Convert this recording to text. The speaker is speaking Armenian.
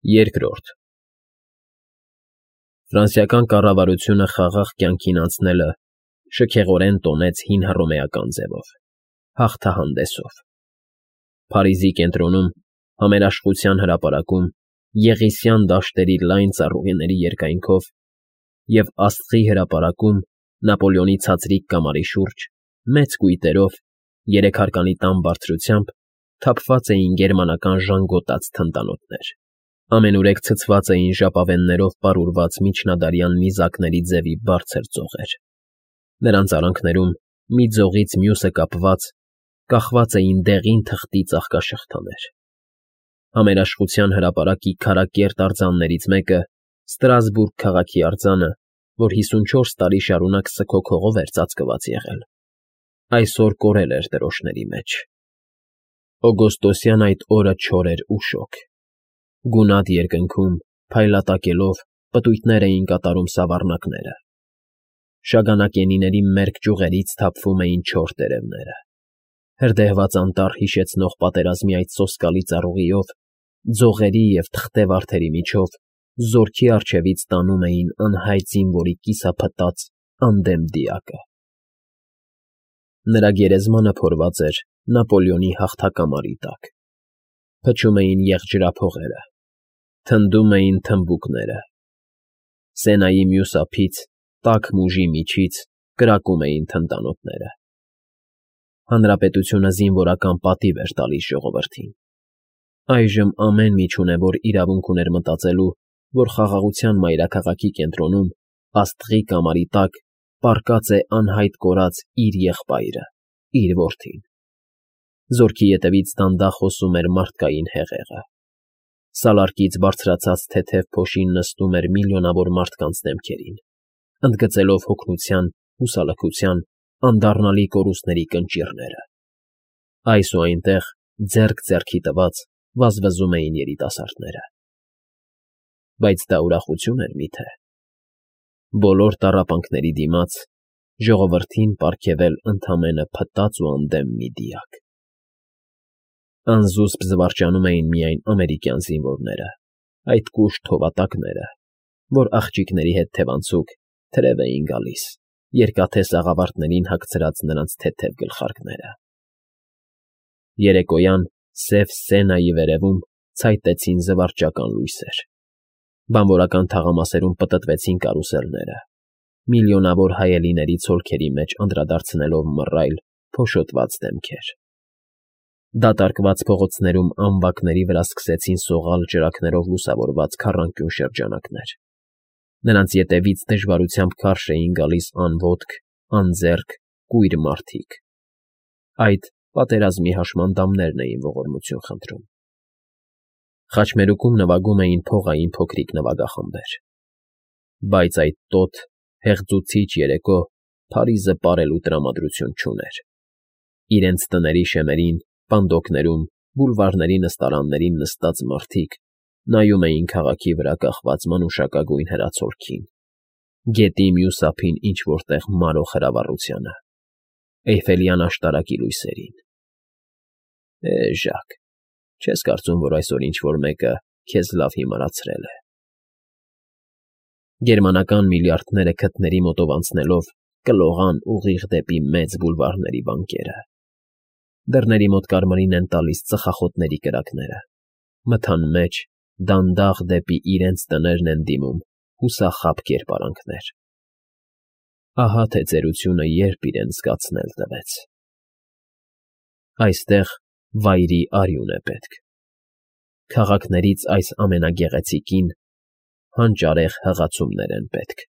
Երկրորդ Ֆրանսիական կառավարությունը խաղաղ կյանքին անցնելը շքեղորեն տոնեց հին հռոմեական ձևով, հաղթահանդեսով։ Փարիզի կենտրոնում, Համերաշխության հրապարակում, Եղիսյան դաշտերի լայն ծառուղիների երկայնքով և Աստղի հրապարակում, Նապոլեոնի ցածրիկ կամարի շուրջ, մեծ կույտերով, երեքարկանի տան բարձրությամբ թափված էին գերմանական ժանգոտած թնդանոթներ։ Ամենուրեք ցցված էին ժապավեններով պարուրված միջնադարյան նիզակների ձևի բարձր ծողեր։ Նրանց արանքներում, մի ձողից մյուսը կապված, կախված էին դեղին թղթի ծաղկաշղթաներ։ Համերաշխության հրապարակի քարակերտ արձաններից մեկը, Ստրասբուրգ քաղաքի արձանը, որ 54 տարի շարունակ սգոգողով էր ծածկված եղել, այսօր կորել էր դրոշների մեջ։ Օգոստոսյան այդ օրը չոր էր ու շոգ։ Գունատ երկնքում, փայլատակելով, պտույտներ էին կատարում սավառնակները։ Շագանակենիների մերկ ճյուղերից թափվում էին չոր տերևները։ Հրդեհված անտառ հիշեցնող պատերազմի այդ սոսկալի ծառուղիով, ձողերի և թղթե վարդերի միջով զորքի առջևից տանում էին անհայտ զինվորի կիսափտած անդեմ դիակը։ Նրա գերեզմանը փորված էր Նապոլեոնի հաղթակամարի տակ։ Փչում էին եղջրափողերը, թնդում էին թմբուկները։ Սենայի մյուս ափից, տաք մուժի միջից կրակում էին թնդանոթները։ Հանրապետությունը զինվորական պատիվ էր տալիս ժողովրդին։ Այժմ ամեն մի չունևոր իրավունք ուներ մտածելու, որ խաղաղության մայրաքաղաքի կենտրոնում, Աստղի կամարի տակ, պառկած է անհայտ կորած իր եղբայրը, իր որդին։ Զորքի ետևից դանդաղ հոսում էր մարդկային հեղեղը։ Սալարկից բարձրացած թեթև փոշին նստում էր միլիոնավոր մարդկանց դեմքերին, ընդգծելով հոգնության, հուսալքության, անդառնալի կորուստների կնճիռները։ Այս ու այնտեղ, ձեռք ձեռքի տված, վազվզում էին երիտասարդները։ Բայց դա ուրախություն էր միթե։ Բոլոր տառապանքների դիմաց ժողովրդին պարգևել ընդամենը փտած ու անդեմ մի դիակ։ Անզուսպ զվարճանում էին միայն ամերիկյան զինվորները, այդ կուշտ հովատակները, որ աղջիկների հետ թևանցուկ թրև էին գալիս, երկաթե սաղավարտներին հագցրած նրանց թեթև գլխարկները։ Երեկոյան սև Սենայի վերևում ցայտեցին զվարճական լույսեր։ Բանվորական թաղամասերում պտտվեցին կարուսելները, միլիոնավոր հայելիների ցոլքերի մեջ անդրադարձնելով մռայլ, փոշոտված դեմքեր։ Դատարկված փողոցներում ամբակների վրա սկսեցին սողալ ջրակներով լուսավորված քառանկյուն շրջանակներ։ Նրանց ետևից դժվարությամբ քարշ էին գալիս անոտք, անձեռք, կույր մարդիկ։ Այդ պատերազմի հաշմանդամներն էին ողորմություն խնդրում։ Խաչմերուկում նվագում էին փողային փոքրիկ նվագախմբեր։ Բայց այդ տոտ, հեղձուցիչ երեկո Փարիզը պարելու տրամադրություն չուներ։ Իրենց տների շեմերին, պանդոկներում, բուլվարների նստարաններին նստած մարդիկ նայում էին քաղաքի վրա կախված մանուշակագույն հրացոլքին, գետի մյուս ափին ինչ֊որ տեղ մարող հրավառությանը, Էյֆելյան աշտարակի լույսերին։ Ժակ, չես կարծում, որ այսօր ինչ֊որ մեկը քեզ լավ հիմարացրել է։ Գերմանական միլիարդները քթների մոտով անցնելով կլողան ուղիղ դեպի մեծ բուլվարների վանքերը։ Դռների մոտ կարմիրին են տալիս ծխախոտների կրակները, մթան մեջ, դանդաղ դեպի իրենց տներն են դիմում հուսախաբ կերպարանքներ։ Ահա թե ծերությունը երբ իրեն զգացնել տվեց։ Այստեղ վայրի արյուն է պետք։ Քաղաքներից այս ամենագեղեցիկին հանճարեղ հղացումներ են պետք։